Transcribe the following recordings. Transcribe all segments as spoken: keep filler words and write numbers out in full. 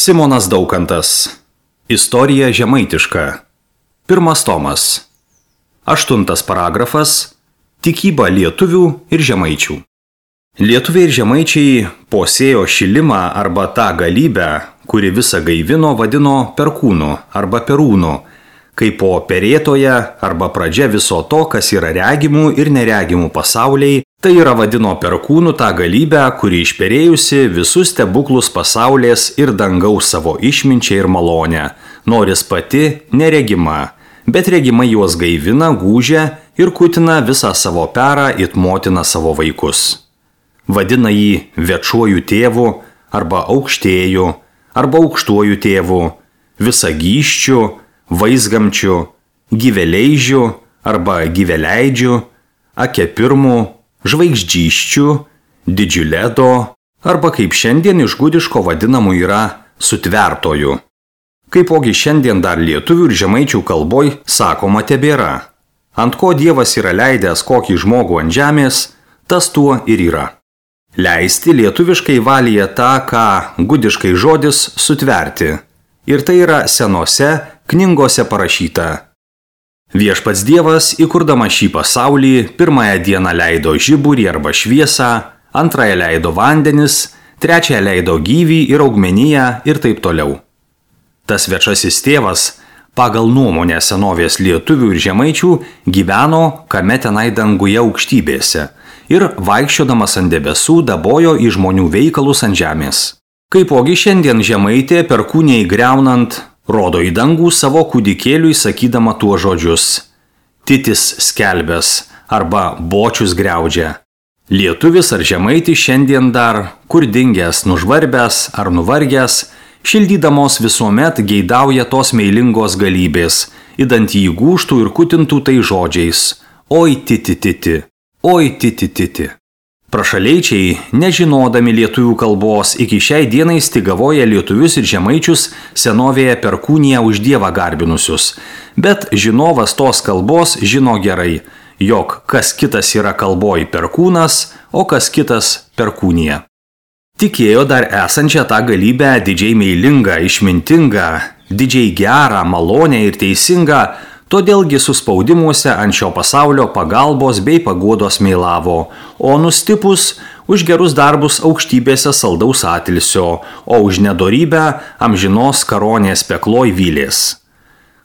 Simonas Daukantas. Istorija žemaitiška. Pirmas tomas. Aštuntas paragrafas. Tikyba lietuvių ir žemaičių. Lietuviai ir žemaičiai posėjo šilimą arba tą galybę, kuri visą gaivino, vadino perkūnu arba perūnu, kaip po perėtoje arba pradžia viso to, kas yra regimų ir neregimų pasauliai, tai yra vadino perkūnu tą galybę, kuri išperėjusi visus stebuklus pasaulės ir dangaus savo išminčią ir malonę, noris pati neregima, bet regima juos gaivina, gūžia ir kutina visą savo perą it motina savo vaikus. Vadina jį večuoju tėvu arba aukštėju arba aukštuoju tėvu, visagyščiu, vaizgamčiu, gyveleidžiu arba gyveleidžiu, akepirmu, žvaigždžiščiu, didžiuledo arba kaip šiandien iš gudiško vadinamų yra sutvertoju. Kaipogi šiandien dar lietuvių ir žemaičių kalboj sakoma tebėra. Ant ko Dievas yra leidęs kokį žmogų ant žemės, tas tuo ir yra. Leisti lietuviškai valyje tą, ką gudiškai žodis sutverti. Ir tai yra senose knygose parašyta. Viešpats Dievas, įkurdamas šį pasaulį, pirmąją dieną leido žiburį arba šviesą, antrąją leido vandenis, trečiąją leido gyvį ir augmeniją ir taip toliau. Tas viešasis tėvas, pagal nuomonę senovės lietuvių ir žemaičių, gyveno kame tenai danguje aukštybėse ir vaikščiodamas ant debesų dabojo į žmonių veikalus ant žemės. Kaipogi šiandien žemaitė perkūniai greunant rodo į dangų savo kūdikėliui sakydama tuo žodžius: titis skelbęs arba bočius griaudžia. Lietuvis ar žemaitis šiandien dar, kur dingęs, nužvarbęs ar nuvargęs, šildydamos visuomet geidauja tos meilingos galybės, idant jį gūžtų ir kutintų tai žodžiais: oi titi titi, oi titi titi. Prašaleičiai, nežinodami lietuvių kalbos, iki šiai dienai stigavoja lietuvius ir žemaičius senovėje perkūniją už Dievą garbinusius, bet žinovas tos kalbos žino gerai, jog kas kitas yra kalboj perkūnas, o kas kitas perkūnija. Tikėjo dar esančią tą galybę didžiai meilingą, išmintingą, didžiai gerą, malonę ir teisingą, todėlgi suspaudimuose ant šio pasaulio pagalbos bei paguodos meilavo, o nustipus už gerus darbus aukštybėse saldaus atilsio, o už nedorybę amžinos karonės pekloj vylės.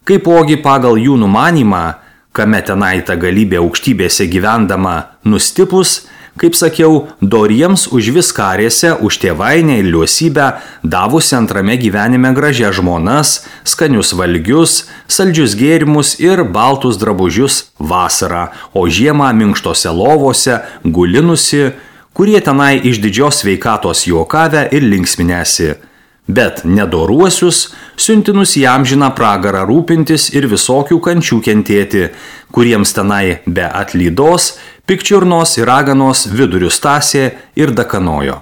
Kaipogi pagal jų numanymą, kame tenai ta galybė aukštybėse gyvendama nustipus, kaip sakiau, doriems už viskarėse, už tėvainę ir liuosybę, davusi antrame gyvenime gražias žmonas, skanius valgius, saldžius gėrimus ir baltus drabužius vasarą, o žiemą minkštose lovose gulinusi, kurie tenai iš didžios sveikatos juokavę ir linksminėsi. Bet nedoruosius, siuntinus į amžiną pragarą rūpintis ir visokių kančių kentėti, kuriems tenai be atlydos, pikčiurnos ir raganos vidurius tasė ir dakanojo.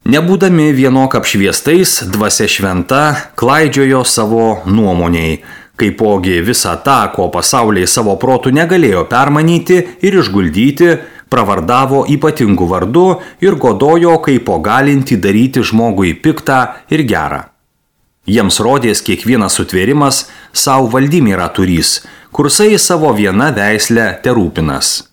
Nebūdami vienok apšviestais, dvasia šventa klaidžiojo savo nuomoniai, kaipogi visą tą, ko pasauliai savo protų negalėjo permanyti ir išguldyti, pravardavo ypatingų vardu ir godojo kaipo galinti daryti žmogui piktą ir gerą. Jiems rodės kiekvienas sutvėrimas savo valdymyrą turys, kursai savo viena veislę terūpinas.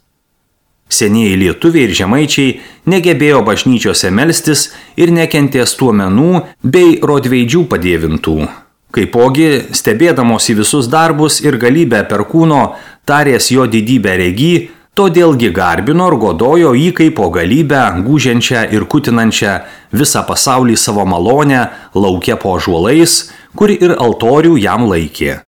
Senieji lietuviai ir žemaičiai negebėjo bažnyčiose melstis ir nekentė stuomenų bei rodveidžių padėvintų. Kaipogi, stebėdamos į visus darbus ir galybę perkūno, tarės jo didybę regi, todėlgi garbino ir godojo jį kaipo galybę, gūžiančią ir kutinančią visą pasaulį savo malonę, lauke po ąžuolais, kur ir altorių jam laikė.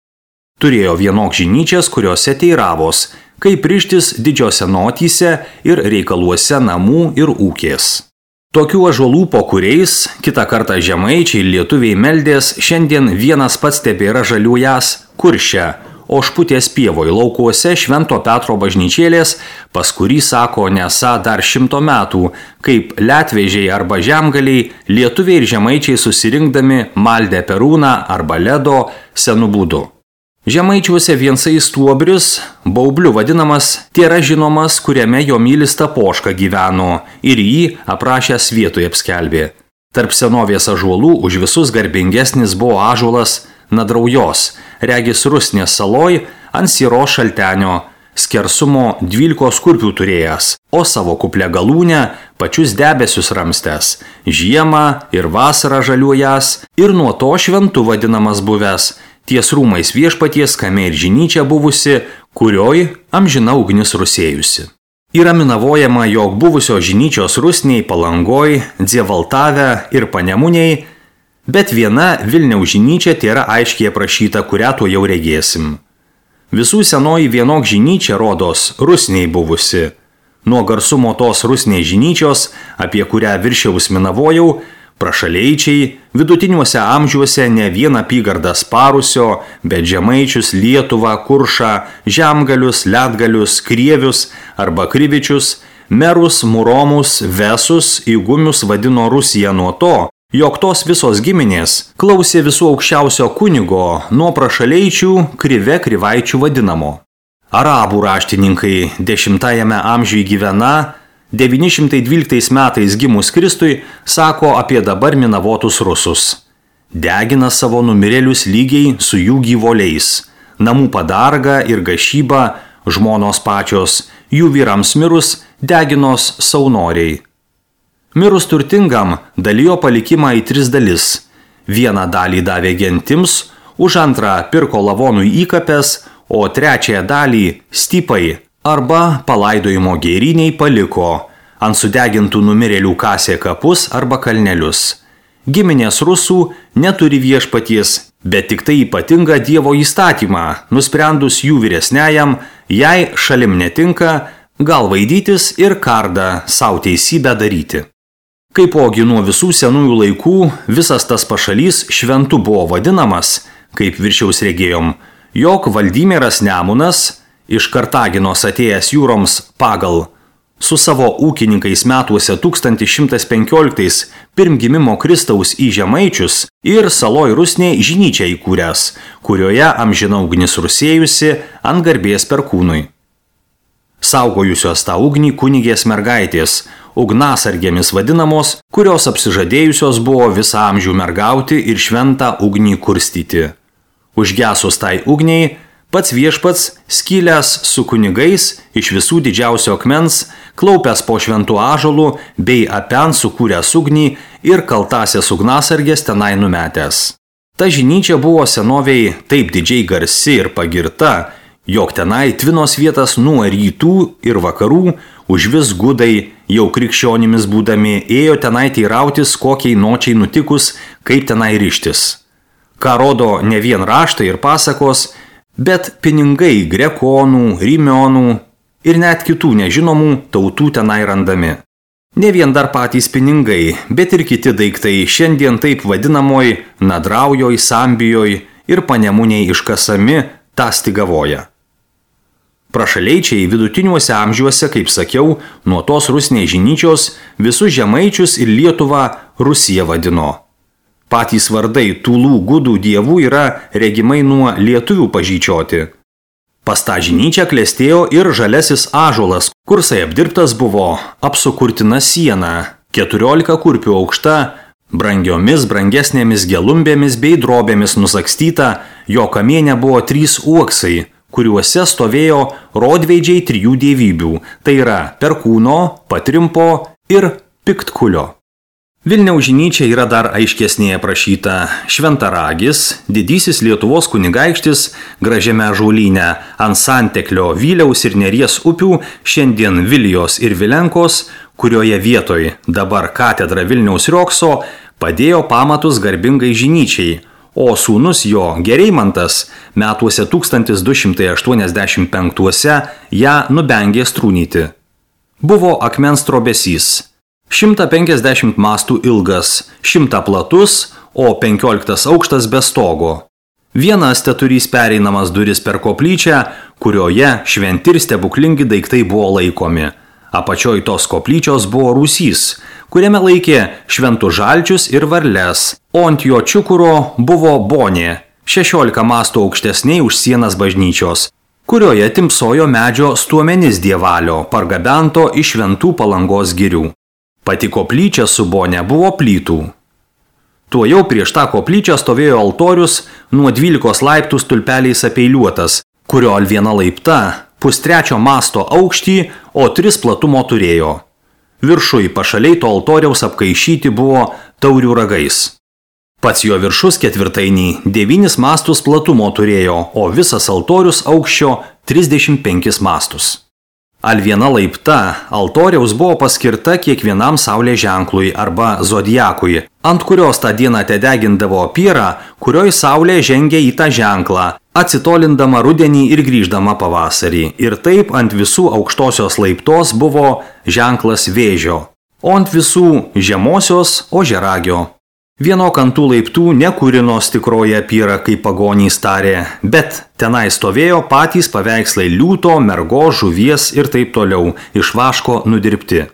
Turėjo vienok žinyčias, kuriuose teiravos, kaip rištis didžiose notyse ir reikaluose namų ir ūkės. Tokių ąžuolų po kuriais, kitą kartą žemaičiai lietuviai meldės, šiandien vienas pats tebėra žaliuojas Kurše, o Šputės pievoj laukuose Švento Petro bažnyčėlės, pas kurį sako nesą dar šimto metų, kaip letvežiai arba žemgaliai, lietuviai ir žemaičiai susirinkdami maldė perūną arba ledo senu būdu. Žemaičiuose viensai stuobris, baubliu vadinamas, tėra žinomas, kuriame jo mylis Tapoška gyveno ir jį aprašęs vietoje apskelbė. Tarp senovės ąžuolų už visus garbingesnis buvo ąžuolas Nadraujos, regis Rusnės saloj ant Syros šaltenio, skersumo dvylikos kurpių turėjęs, o savo kuplę galūnę pačius debesius ramstęs, žiemą ir vasarą žaliuojas ir nuo to šventu vadinamas buvęs, ties rūmais viešpaties kame ir žinyčia buvusi, kurioj amžina ugnis rusėjusi. Yra minavojama, jog buvusio žinyčios Rusniai, Palangoj, Dzievaltave ir Panemuniai, bet viena Vilniaus žinyčia tėra aiškiai aprašyta, kurią tuo jau regėsim. Visų senoji vienok žinyčia rodos Rusniai buvusi. Nuo garsumo tos Rusniai žinyčios, apie kurią viršiaus minavojau, prašaleičiai vidutiniuose amžiuose ne vieną apygardą sparusio, bet Žemaičius, Lietuvą, Kuršą, Žemgalius, Ledgalius, Krievius arba Krivičius, Merus, Muromus, Vesus, Įgumius vadino Rusiją nuo to, jog tos visos giminės klausė visų aukščiausio kunigo nuo prašaleičių Krive Krivaičių vadinamo. Arabų raštininkai dešimtajame amžiuje gyvena, devyni šimtai dvyliktais metais gimus Kristui, sako apie dabar minavotus rusus. Degina savo numirėlius lygiai su jų gyvoliais. Namų padarga ir gašyba, žmonos pačios, jų vyrams mirus, deginos saunoriai. Mirus turtingam dalijo palikimą į tris dalis. Vieną dalį davė gentims, už antrą pirko lavonų įkapės, o trečiąją dalį stypai arba palaidojimo gėryniai paliko, ant sudegintų numirėlių kasė kapus arba kalnelius. Giminės rusų neturi viešpaties, bet tik tai ypatingą Dievo įstatymą, nusprendus jų vyresniajam, jei šalim netinka, gal vaidytis ir kardą sau teisybę daryti. Kaipogi nuo visų senųjų laikų visas tas pašalys šventu buvo vadinamas, kaip viršiaus regėjom, jog Valdymieras Nemunas, iš Kartaginos atėjęs jūroms pagal, su savo ūkininkais metuose tūkstantis šimtas penkioliktais pirmgimimo Kristaus į Žemaičius ir saloj Rusnėj žinyčią įkūręs, kurioje amžina ugnis rusėjusi ant garbės perkūnui. Saugojusios tą ugnį kunigės mergaitės, ugnasargėmis vadinamos, kurios apsižadėjusios buvo visą amžių mergauti ir šventą ugnį kurstyti. Užgesus tai ugniai, pats viešpats, skylęs su kunigais iš visų didžiausio akmens, klaupęs po šventų ąžuolų bei apen sukūręs ugnį ir kaltasias ugnasargės tenai numetęs. Ta žinyčia buvo senoviai taip didžiai garsi ir pagirta, jog tenai tvinos vietas nuo rytų ir vakarų, už vis gudai, jau krikščionimis būdami, ėjo tenai teirautis, kokiai nočiai nutikus, kaip tenai ryštis. Ką rodo ne vien raštai ir pasakos, bet pinigai grekonų, rimionų ir net kitų nežinomų tautų tenai randami. Ne vien dar patys pinigai, bet ir kiti daiktai šiandien taip vadinamoj Nadraujoj, Sambijoj ir Panemuniai iškasami tą Stigavoje. Prašaleičiai vidutiniuose amžiuose, kaip sakiau, nuo tos Rusnės žinyčios visus Žemaičius ir Lietuvą Rusiją vadino. Patys vardai tūlų gudų dievų yra regimai nuo lietuvių pažyčioti. Pas tą žinyčią klestėjo ir žalesis ąžuolas, kursai apdirbtas buvo apsukurtina siena, keturiolika kurpių aukšta, brangiomis brangesnėmis gelumbėmis bei drobėmis nusakstyta, jo kamiene buvo trys uoksai, kuriuose stovėjo rodveidžiai trijų dievybių, tai yra Perkūno, Patrimpo ir Piktkulio. Vilniaus žinyčia yra dar aiškesnėje aprašyta. Šventaragis, didysis Lietuvos kunigaikštis, gražiame ąžuolyne ant Santeklio, Vyliaus ir Neries upių, šiandien Vilijos ir Vilenkos, kurioje vietoj dabar katedra Vilniaus Riokso, padėjo pamatus garbingai žinyčiai, o sūnus jo Gereimantas metuose tūkstantis du šimtai aštuoniasdešimt penktuose ją nubengė strūnyti. Buvo akmens trobesys. šimtas penkiasdešimt mastų ilgas, šimtas platus, o penkioliktas aukštas be stogo. Vienas teturys pereinamas duris per koplyčią, kurioje šventi ir stebuklingi daiktai buvo laikomi. Apačioj tos koplyčios buvo rūsys, kuriame laikė šventų žalčius ir varles, o ant jo čiukuro buvo bonė, šešiolika mastų aukštesniai už sienas bažnyčios, kurioje timpsojo medžio stuomenis dievalio, pargabento iš šventų Palangos girių. Pati koplyčia su bonė buvo plytų. Tuojau prieš tą koplyčią stovėjo altorius nuo dvylikos laiptų stulpeliais apeiliuotas, kurio viena laipta pustrečio masto aukštį, o tris platumo turėjo. Viršui pašaliai to altoriaus apkaišyti buvo taurių ragais. Pats jo viršus ketvirtainį devynis mastus platumo turėjo, o visas altorius aukščio trisdešimt penkis mastus. Al viena laipta altoriaus buvo paskirta kiekvienam saulės ženklui arba zodiakui, ant kurios tą dieną tedegindavo pierą, kurioj saulė žengia į tą ženklą, atsitolindama rudenį ir grįždama pavasarį. Ir taip ant visų aukštosios laiptos buvo ženklas vėžio, o ant visų žemosios ožiaragio. Vieno kantų laiptų nekūrinos tikroje pyra, kaip pagonys tarė, bet tenai stovėjo patys paveikslai liūto, mergo, žuvies ir taip toliau, iš vaško nudirbti.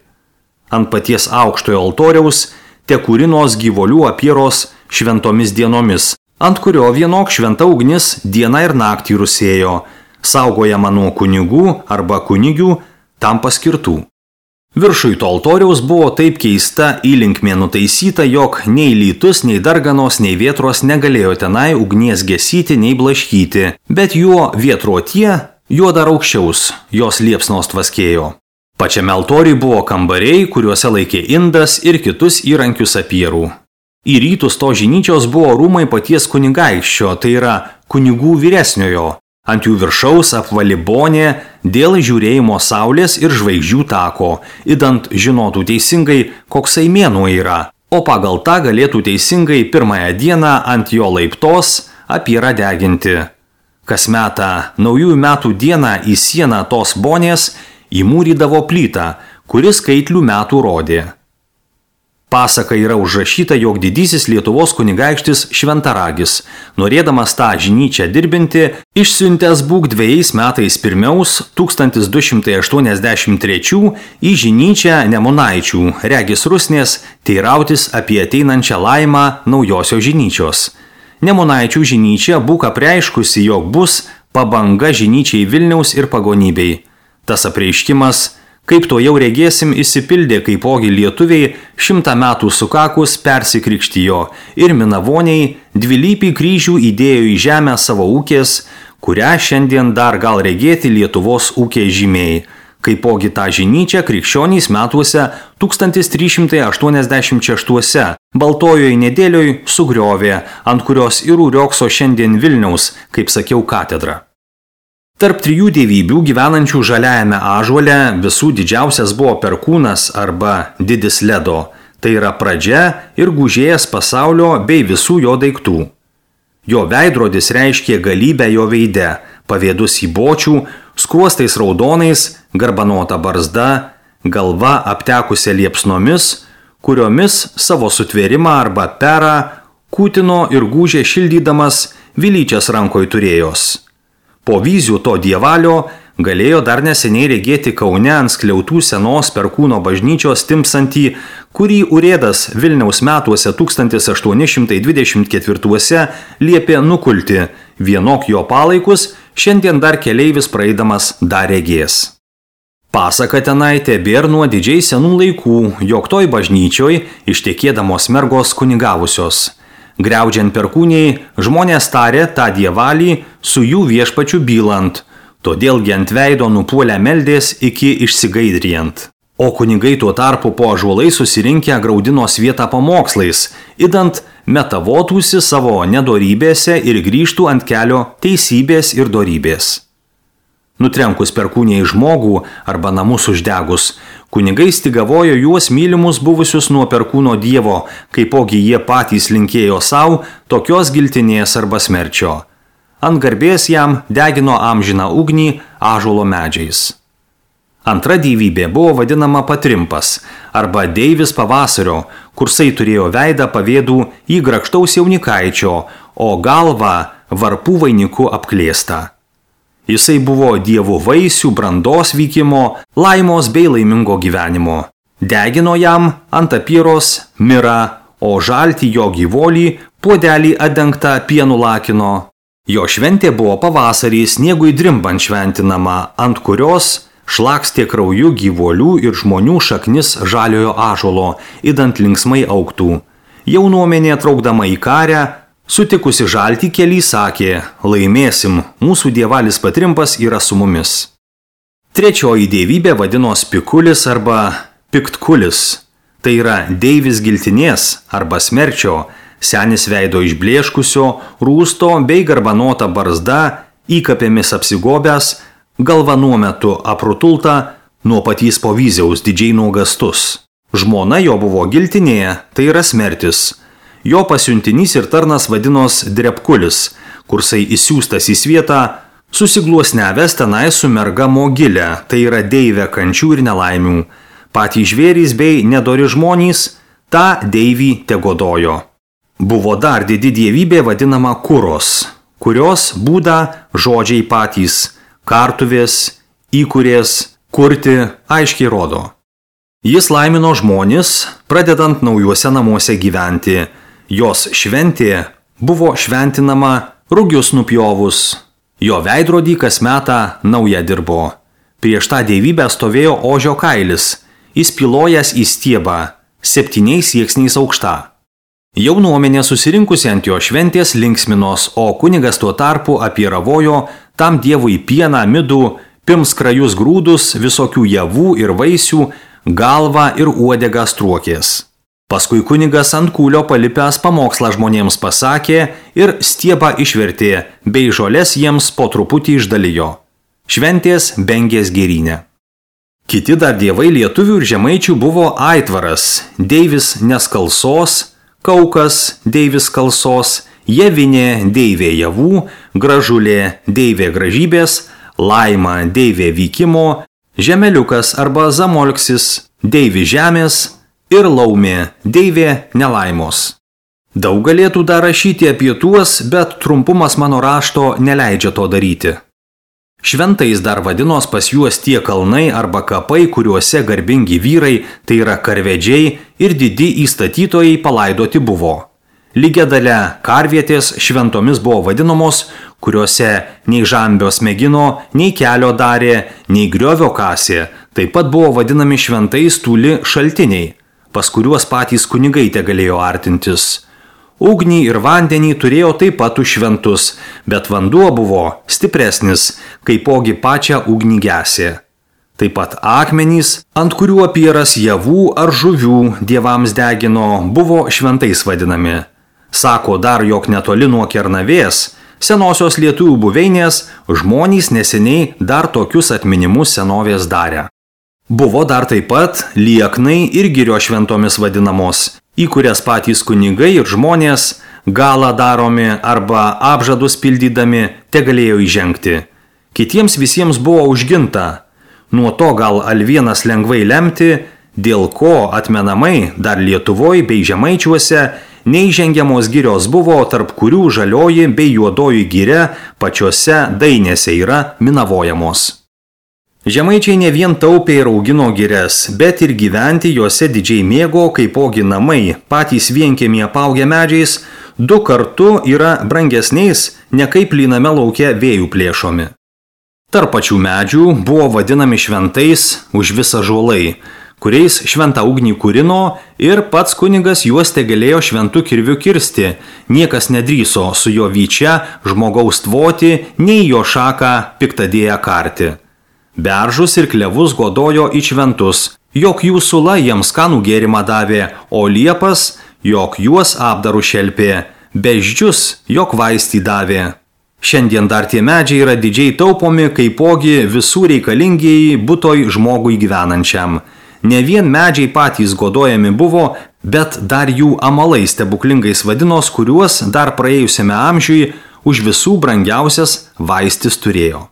Ant paties aukštojo altoriaus te kūrinos gyvolių apieros šventomis dienomis, ant kurio vienok šventa ugnis dieną ir naktį rusėjo, saugojama nuo kunigų arba kunigių tam paskirtų. Viršui to altoriaus buvo taip keista įlinkmė nutaisyta, jog nei lytus, nei darganos, nei vėtros negalėjo tenai ugnies gesyti, nei blaškyti, bet juo vėtruotie, juo dar aukščiaus, jos liepsnos tvaskėjo. Pačiame altoriui buvo kambariai, kuriuose laikė indas ir kitus įrankius apierų. Į rytus to žinyčios buvo rūmai paties kunigaikščio, tai yra kunigų vyresniojo. Ant jų viršaus apvali bonė dėl žiūrėjimo saulės ir žvaigždžių tako, idant žinotų teisingai, koksai mėnuo yra, o pagal tą galėtų teisingai pirmąją dieną ant jo laiptos apierą deginti. Kas metą naujųjų metų dieną į sieną tos bonės įmūrydavo plytą, kuris skaitlių metų rodė. Pasaka yra užrašyta, jog didysis Lietuvos kunigaikštis Šventaragis, norėdamas tą žinyčią dirbinti, išsiuntęs būk dviejais metais pirmiaus tūkstantis du šimtai aštuoniasdešimt trečių į žinyčią Nemunaičių, regis Rusnės, teirautis apie ateinančią laimą naujosios žinyčios. Nemunaičių žinyčia būk apreiškusi, jog bus pabanga žinyčiai Vilniaus ir pagonybei. Tas apreiškimas, kaip to jau regėsim, įsipildė, kaipogi lietuviai šimtą metų sukakus persikrikštijo ir minavoniai dvilypį kryžių įdėjo į žemę savo ūkės, kurią šiandien dar gal regėti Lietuvos ūkiai žymiai. Kaipogi tą žinyčią krikščionys metuose tūkstantis trys šimtai aštuoniasdešimt šeštuose Baltojoj nedėlioj sugriovė, ant kurios ir riogso šiandien Vilniaus, kaip sakiau, katedra. Tarp trijų dievybių gyvenančių žaliajame ąžuole visų didžiausias buvo Perkūnas arba Didis Ledo, tai yra pradžia ir gūžėjas pasaulio bei visų jo daiktų. Jo veidrodis reiškė galybę jo veide, pavėdus į bočių, skruostais raudonais, garbanota barzda, galva aptekusia liepsnomis, kuriomis savo sutvėrimą arba perą kūtino ir gūžė šildydamas vilyčias rankoj turėjos. Po vizių to dievalio galėjo dar neseniai regėti Kaune ant skliautų senos Perkūno bažnyčios timpsantį, kurį urėdas Vilniaus metuose tūkstantis aštuoni šimtai dvidešimt ketvirtuose liepė nukulti, vienok jo palaikus šiandien dar keleivis praeidamas dar regės. Pasaka tenai tebėr nuo didžiai senų laikų, jog toj bažnyčioj ištekėdamos mergos kunigavusios. Griaudžiant Perkūniai, žmonės tarė tą dievalį su jų viešpačiu bylant, todėlgi ant veido nupuolę meldės iki išsigaidrijant. O kunigai tuo tarpu po ąžuolai susirinkę graudinos vietą pamokslais, idant metavotųsi savo nedorybėse ir grįžtų ant kelio teisybės ir dorybės. Nutrenkus Perkūniai žmogų arba namus uždegus, kunigai stigavojo juos mylimus buvusius nuo Perkūno dievo, kaipogi jie patys linkėjo savo tokios giltinės arba smerčio. Ant garbės jam degino amžiną ugnį ąžuolo medžiais. Antra dievybė buvo vadinama Patrimpas arba deivis pavasario, kursai turėjo veidą pavėdų į grakštaus jaunikaičio, o galvą varpų vainiku apklėstą. Jisai buvo dievų vaisių, brandos vykimo, laimos bei laimingo gyvenimo. Degino jam ant apyros mirą, o žalti jo gyvolį puodelį atdengtą pienu lakino. Jo šventė buvo pavasarį sniegui drimbant šventinama, ant kurios šlakstė krauju gyvolių ir žmonių šaknis žaliojo ąžuolo, idant linksmai augtų. jaunuomenė traukdama į karę, sutikusi žaltį kely sakė, laimėsim, mūsų dievalis Patrimpas yra su mumis. Trečioji dievybė vadinos Pikulis arba Piktkulis. Tai yra deivis giltinės arba smerčio, senis veido išblėškusio, rūsto bei garbanota barzda, įkapėmis apsigobęs, galva nuo metu aprutulta, nuo patys povyziaus didžiai nuogastus. Žmona jo buvo giltinė, tai yra smertis. Jo pasiuntinys ir tarnas vadinos Drepkulis, kursai įsiūstas į svietą, susigluosnevęs tenai su merga Mogilė, tai yra deivė kančių ir nelaimių. Patys žvėrys bei nedori žmonys tą deivį tegodojo. Buvo dar didi dievybė vadinama Kuros, kurios būdą žodžiai patys kartuvės, įkurės, kurti aiškiai rodo. Jis laimino žmonis, pradedant naujuose namuose gyventi. Jos šventė buvo šventinama rugius nupjovus. Jo veidrodį kas metą naują dirbo. Prieš tą dievybę stovėjo ožio kailis, įspilojęs į stiebą, septyniais sieksniais aukšta. Jaunuomenė susirinkusi ant jo šventės linksminos, o kunigas tuo tarpu apiravojo tam dievui pieną, midų, pirmskrajus grūdus, visokių javų ir vaisių, galvą ir uodegą struokės. Paskui kunigas ant kūlio palipęs pamokslą žmonėms pasakė ir stiebą išvertė, bei žolės jiems po truputį išdalijo. Šventės Bengės gėrynė. Kiti dar dievai lietuvių ir žemaičių buvo Aitvaras, deivis Neskalsos, Kaukas, deivis Kalsos, Jevinė, deivė javų, Gražulė, deivė gražybės, Laima, deivė vykimo, Žemeliukas arba Zamolksis, deivi žemės ir Laumė, deivė nelaimos. Daug galėtų dar rašyti apie tuos, bet trumpumas mano rašto neleidžia to daryti. Šventais dar vadinos pas juos tie kalnai arba kapai, kuriuose garbingi vyrai, tai yra karvedžiai ir didi įstatytojai palaidoti buvo. Lygia dalia karvietės šventomis buvo vadinamos, kuriuose nei žambios mėgino, nei kelio darė, nei griovio kasė, taip pat buvo vadinami šventais tūli šaltiniai, pas kuriuos patys kunigai te galėjo artintis. Ugnį ir vandenį turėjo taip pat už šventus, bet vanduo buvo stipresnis, kaipogi pačią ugnį gesė. Taip pat akmenys, ant kurių apieras javų ar žuvių dievams degino, buvo šventais vadinami. Sako dar, jog netoli nuo Kernavės, senosios lietuvių buveinės, žmonės neseniai dar tokius atminimus senovės darė. Buvo dar taip pat lieknai ir girio šventomis vadinamos, į kurias patys kunigai ir žmonės galą daromi arba apžadus pildydami te galėjo įžengti. Kitiems visiems buvo užginta. Nuo to gal alvienas lengvai lemti, dėl ko atmenamai dar Lietuvoj bei Žemaičiuose neįžengiamos girios buvo, tarp kurių žalioji bei juodoji giria pačiose dainėse yra minavojamos. Žemaičiai ne vien taupė ir augino girias, bet ir gyventi juose didžiai mėgo, kaipogi namai, patys vienkiemį apaugę medžiais, du kartu yra brangesniais, ne kaip plyname lauke vėjų plėšomi. Tarp pačių medžių buvo vadinami šventais už visą žuolai, kuriais šventą ugnį kūrino ir pats kunigas juos te galėjo šventų kirvių kirsti, niekas nedryso su jo vyčia žmogaus tvoti, nei jo šaką piktadėję karti. Beržus ir klevus godojo į šventus, jog jų sula jiems skanų gėrimą davė, o liepas, jog juos apdarų šelpė, beždžius, jog vaistį davė. Šiandien dar tie medžiai yra didžiai taupomi, kaipogi visų reikalingieji butoj žmogui gyvenančiam. Ne vien medžiai patys godojami buvo, bet dar jų amalai stebuklingais vadinos, kuriuos dar praėjusiame amžiui už visų brangiausias vaistis turėjo.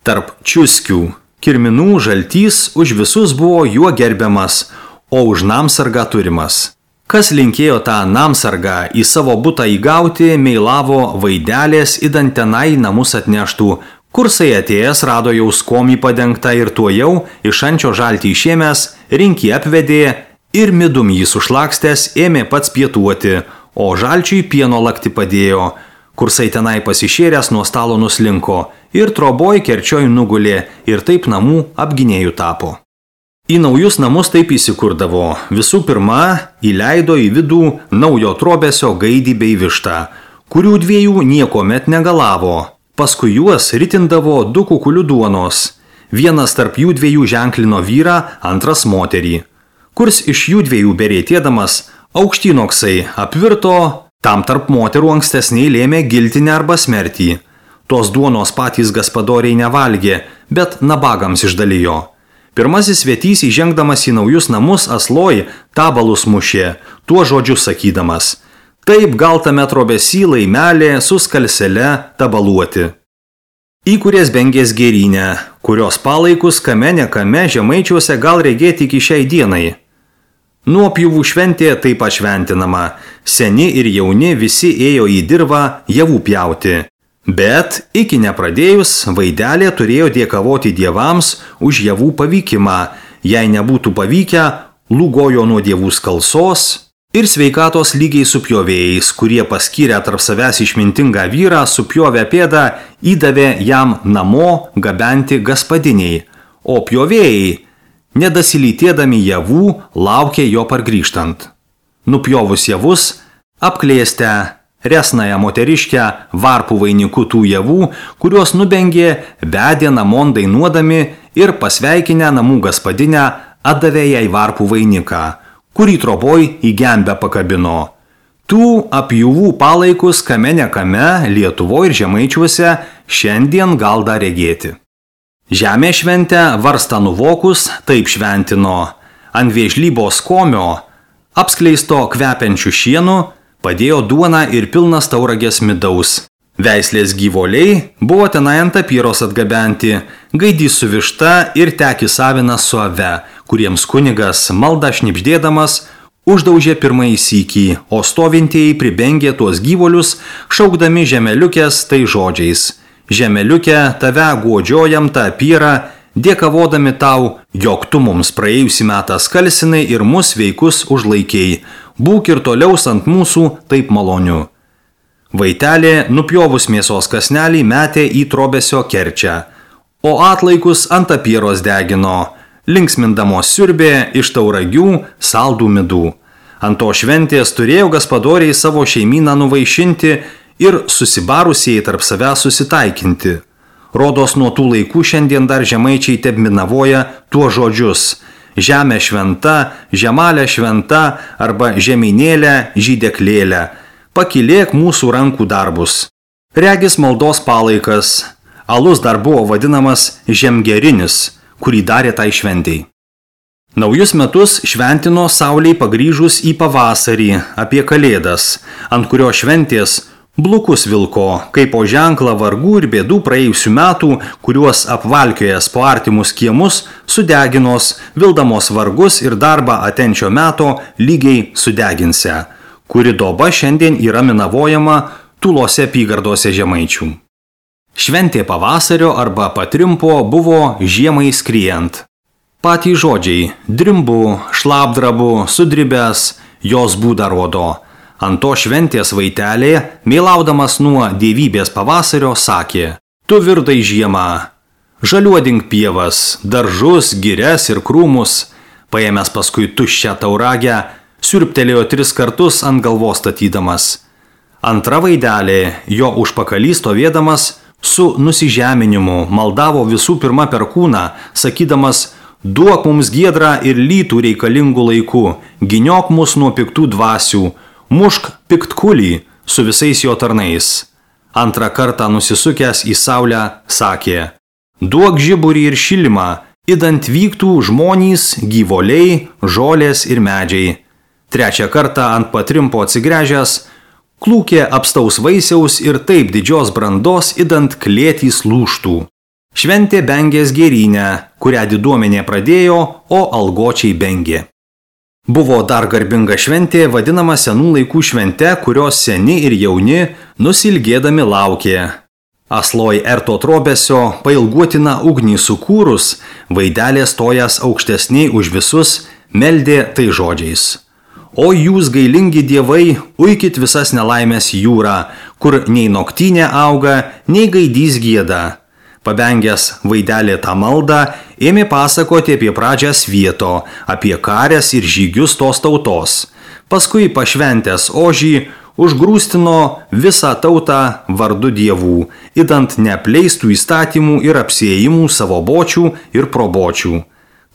Tarp čiuskių, kirminų žaltys už visus buvo juo gerbiamas, o už namsargą turimas. Kas linkėjo tą namsargą į savo butą įgauti, meilavo vaidelės idant tenai namus atneštų, kursai atėjęs rado jau skomį padengtą ir tuo jau iš ančio žaltį išėmęs, rinkį apvedė ir midum jį sušlakstęs ėmė pats pietuoti, o žalčiui pieno lakti padėjo. Kursai tenai pasišėręs nuo stalo nuslinko ir troboj kerčioj nugulė ir taip namų apginėjų tapo. Į naujus namus taip įsikurdavo. Visų pirma, įleido į vidų naujo trobesio gaidį bei vištą, kurių dviejų niekomet negalavo. Paskui juos ritindavo du kukulių duonos. Vienas tarp jų dviejų ženklino vyrą, antras moterį. Kurs iš jų dviejų berėtėdamas, aukštynoksai apvirto, tam tarp moterų ankstesniai lėmė giltinę arba smertį. Tos duonos patys gaspadoriai nevalgė, bet nabagams išdalijo. Pirmasis svetys įžengdamas į naujus namus asloj tabalus mušė, tuo žodžiu sakydamas: taip gal tame trobesy laimelė su skalsele tabaluoti. Įkūrės Bengės gėrynę, kurios palaikus kame nekame Žemaičiuose gal regėti iki šiai dienai. Nuopjūvų šventė taip pašventinama, seni ir jauni visi ėjo į dirvą javų pjauti. Bet iki nepradėjus vaidelė turėjo dėkavoti dievams už javų pavykimą, jei nebūtų pavykę, lūgojo nuo dievų skalsos ir sveikatos lygiai su pjovėjais, kurie paskyrę tarp savęs išmintingą vyrą supjovę pėdą įdavė jam namo gabenti gaspadiniai, o pjovėjai, nedasilytėdami javų, laukė jo pargrįžtant. Nupjovus javus, apklėstę resnąją moteriškę varpų vainiku tų javų, kuriuos nubengė, vedė namon dainuodami ir pasveikinę namų gaspadinę atdavė jai varpų vainiką, kurį troboj į gembę pakabino. Tų apjūvų palaikus kame nekame Lietuvoje ir Žemaičiuose šiandien gal dar regėti. Žemė šventę varstą nuvokus taip šventino. Ant vėžlybos komio, apskleisto kvepiančių šienų, padėjo duoną ir pilnas tauragės midaus. Veislės gyvoliai buvo tenai ant tapyros atgabenti, gaidys su višta ir tekis avinas su ave, kuriems kunigas maldą šnibždėdamas uždaužė pirmąjį sykį, o stovintieji pribengė tuos gyvolius, šaukdami žemeliukės tai žodžiais: žemeliukė, tave guodžiojam tą apyrą, dėkavodami tau, jog tu mums praėjusį metą skalsinai ir mus sveikus užlaikėjai. Būk ir toliau ant mūsų taip malonių. Vaitelė nupjovus mėsos kasnelį metė į trobesio kerčią, o atlaikus ant apyros degino, linksmindamos siurbė iš tauragių saldų midų. Ant to šventės turėjo gaspadoriai savo šeimyną nuvaišinti ir susibarusieji tarp savęs susitaikinti. Rodos nuo tų laikų šiandien dar žemaičiai tebminavoja tuo žodžius: žemė šventa, žemalė šventa arba žemynėlė, žydeklėlė. Pakilėk mūsų rankų darbus. Regis maldos palaikas. Alus dar buvo vadinamas žemgerinis, kurį darė tai šventei. Naujus metus šventino saulei pagrįžus į pavasarį apie Kalėdas, ant kurio šventės blukus vilko, kaip po ženklą vargų ir bėdų praėjusių metų, kuriuos apvalkiojęs po artimus kiemus, sudeginos, vildamos vargus ir darbą atenčio meto lygiai sudeginse, kuri doba šiandien yra minavojama Tulose apygardose Žemaičių. Šventė pavasario arba patrimpo buvo žiemai skriejant. Patys žodžiai drimbu, šlapdrabu, sudribęs jos būdą rodo. Ant to šventės vaitelė, mėlaudamas nuo dievybės pavasario, sakė: tu virdai žiemą, žaliuodink pievas, daržus, girias ir krūmus. Paėmęs paskui tuščią tauragę, siurbtelėjo tris kartus ant galvos statydamas. Antra vaidelė, jo užpakalį stovėdamas, su nusižeminimu maldavo visų pirma per kūną, sakydamas: duok mums giedrą ir lytų reikalingų laikų, giniok mus nuo piktų dvasių, mušk piktkulį su visais jo tarnais. Antrą kartą nusisukęs į saulę sakė: duok žiburį ir šilimą, idant vyktų žmonys, gyvoliai, žolės ir medžiai. Trečią kartą ant patrimpo atsigręžęs, klūkė apstaus vaisiaus ir taip didžios brandos, idant klėtys lūžtų. Šventė Bengės gėrynę, kurią diduomenė pradėjo, o algočiai bengė. Buvo dar garbinga šventė, vadinama senų laikų švente, kurios seni ir jauni nusilgėdami laukė. Asloj erto trobesio pailguotina ugnį sukūrus, vaidelė stojas aukštesniai už visus, meldė tai žodžiais: o jūs gailingi dievai, uikit visas nelaimės jūrą, kur nei noktynė auga, nei gaidys gieda. Pabengęs vaidelį tą maldą, ėmė pasakoti apie pradžią svieto, apie karės ir žygius tos tautos. Paskui pašventęs ožį, užgrūstino visą tautą vardu dievų, idant neapleistų įstatymų ir apsiėjimų savo bočių ir probočių.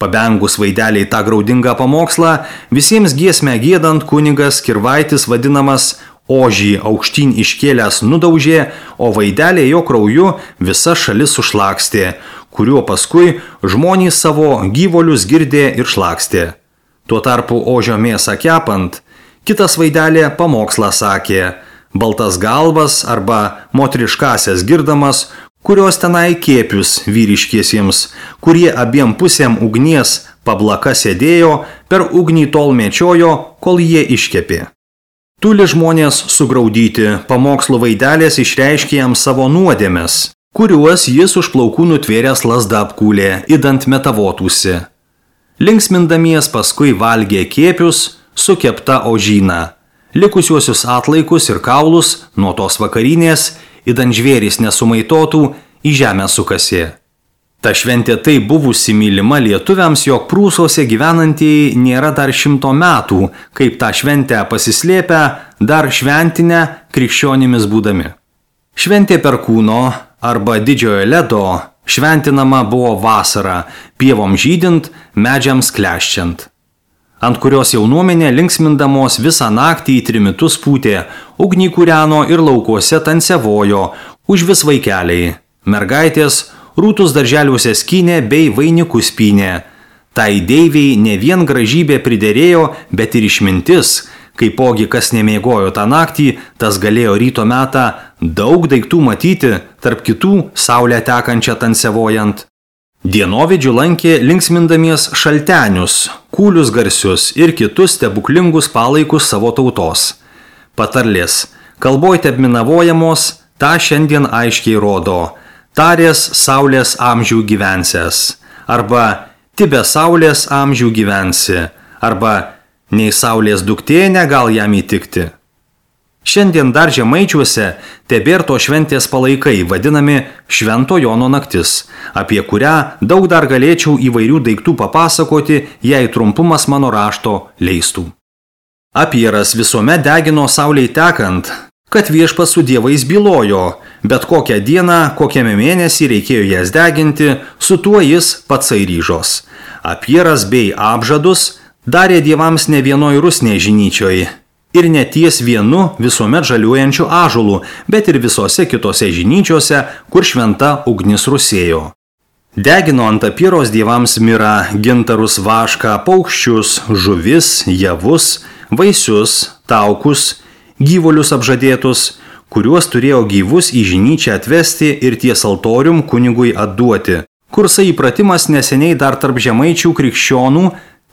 Pabengus vaideliai tą graudingą pamokslą, visiems giesmę giedant kunigas Kirvaitis vadinamas ožį aukštyn iškėlęs nudaužė, o vaidelė jo krauju visa šalis sušlakstė, kuriuo paskui žmonės savo gyvolius girdė ir šlakstė. Tuo tarpu ožio mėsą kepant, kitas vaidelė pamokslą sakė, baltas galvas arba moteriškasias girdamas, kurios tenai kėpius vyriškiesiems, kurie abiem pusėm ugnies pablaka sėdėjo, per ugnį tol mečiojo, kol jie iškepė. Tuli žmonės sugraudyti, pamokslo vaidelės išreiškė jam savo nuodėmes, kuriuos jis už plaukų nutvėręs lazda apkūlė, idant metavotųsi. Linksmindamies paskui valgė kėpius su kepta ožyna, likusiuosius atlaikus ir kaulus nuo tos vakarinės, idant žvėrys nesumaitotų, į žemę sukasė. Ta šventė tai buvusi mylima lietuviams, jog Prūsuose gyvenantieji nėra dar šimto metų, kaip tą šventę pasislėpę, dar šventinę krikščionimis būdami. Šventė Perkūno arba Didžiojo ledo šventinama buvo vasarą, pievom žydint, medžiams kleščiant, ant kurios jaunuomenė linksmindamos visą naktį į trimitus pūtė, ugnį kūreno ir laukuose tansevojo, už vis vaikeliai, mergaitės, rūtus darželiuose skynė bei vainikus pynė. Tai deiviai ne vien gražybė priderėjo, bet ir išmintis, kaipogi kas nemėgojo tą naktį, tas galėjo ryto metą daug daiktų matyti, tarp kitų saulę tekančią tansevojant. Dienovidžių lankė linksmindamies šaltenius, kūlius garsius ir kitus stebuklingus palaikus savo tautos. Patarlės, kalboj tebminavojamos, tą šiandien aiškiai rodo. Tarės saulės amžių gyvensės, arba tibe saulės amžių gyvensi, arba nei saulės duktė negal jam įtikti. Šiandien dar Žemaičiuose tebėr to šventės palaikai, vadinami Švento Jono naktis, apie kurią daug dar galėčiau įvairių daiktų papasakoti, jei trumpumas mano rašto leistų. Apieras visuomet degino saulei tekant, kad viešpats su dievais bylojo, bet kokią dieną, kokiame mėnesį reikėjo jas deginti, su tuo jis patsai ryžos. Apieras bei apžadus darė dievams ne vienoj rusnėj žinyčioj ir ne ties vienu visuomet žaliuojančiu ąžuolu, bet ir visose kitose žinyčiose, kur šventa ugnis rusėjo. Degino ant apieros dievams mirą, gintarus, vašką, paukščius, žuvis, javus, vaisius, taukus, gyvulius apžadėtus, kuriuos turėjo gyvus į žinyčią atvesti ir ties altorium kunigui atduoti. Kursai įpratimas neseniai dar tarp žemaičių krikščionų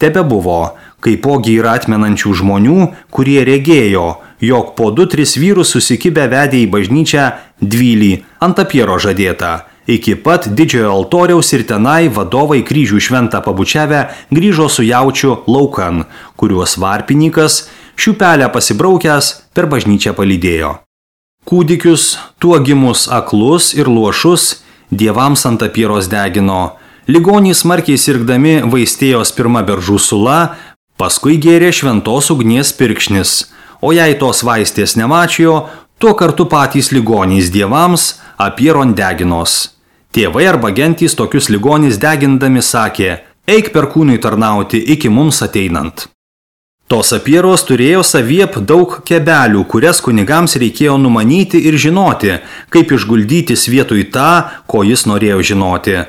tebe buvo, kaipogi yra atmenančių žmonių, kurie regėjo, jog po du tris vyrus susikibę vedė į bažnyčią dvylį ant apiero žadėtą. Iki pat didžiojo altoriaus ir tenai vadovai kryžių šventą pabučiavę grįžo su jaučiu laukan, kuriuos varpininkas šiupelę pasibraukęs per bažnyčią palydėjo. Kūdikius, tuo gimus aklus ir luošus, dievams ant apieros degino. Ligonys smarkiai sirgdami vaistėjos pirma beržų sula, paskui gėrė šventos ugnies pirkšnis, o jei tos vaistės nemačijo, tuo kartu patys ligonys dievams apieron deginos. Tėvai arba gentys tokius ligonys degindami sakė, eik Perkūnui tarnauti iki mums ateinant. Tos apieros turėjo saviep daug kebelių, kurias kunigams reikėjo numanyti ir žinoti, kaip išguldyti vietoj tą, ko jis norėjo žinoti.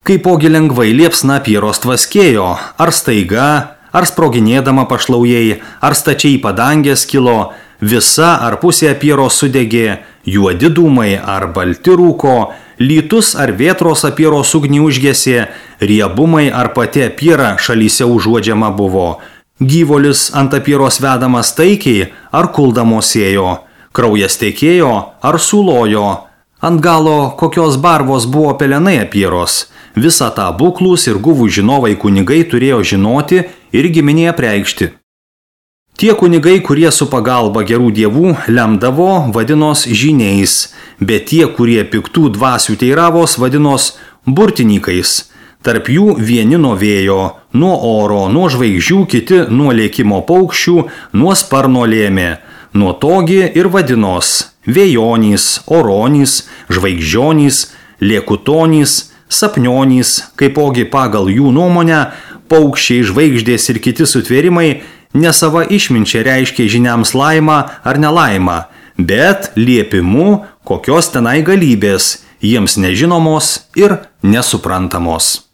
Kaipogi lengvai liepsna apieros tvaskėjo, ar staiga, ar sproginėdama pašlaujai, ar stačiai padangės kilo, visa ar pusė apieros sudegė, juodi dūmai ar balti rūko, lytus ar vėtros apieros ugnį užgesė, riebumai ar pati apiera šalyse užuodžiama buvo. Gyvolis ant apieros vedamas taikiai ar kuldamos ėjo, kraujas tekėjo ar sulojo, ant galo kokios barvos buvo pelenai apieros. Visą tą buklūs ir guvų žinovai kunigai turėjo žinoti ir giminėje preikšti. Tie kunigai, kurie su pagalba gerų dievų lemdavo, vadinos žyniais, bet tie, kurie piktų dvasių teiravos, vadinos burtininkais. Tarp jų vieni nuo vėjo, nuo oro, nuo žvaigždžių, kiti nuo lėkimo paukščių, nuo sparno lėmė. Nuo togi ir vadinos vėjonys, oronys, žvaigždžionys, lėkutonys, sapnionys, kaipogi pagal jų nuomonę, paukščiai, žvaigždės ir kiti sutvėrimai ne sava išminčia reiškia žiniams laimą ar nelaimą, bet liepimu kokios tenai galybės, jiems nežinomos ir nesuprantamos.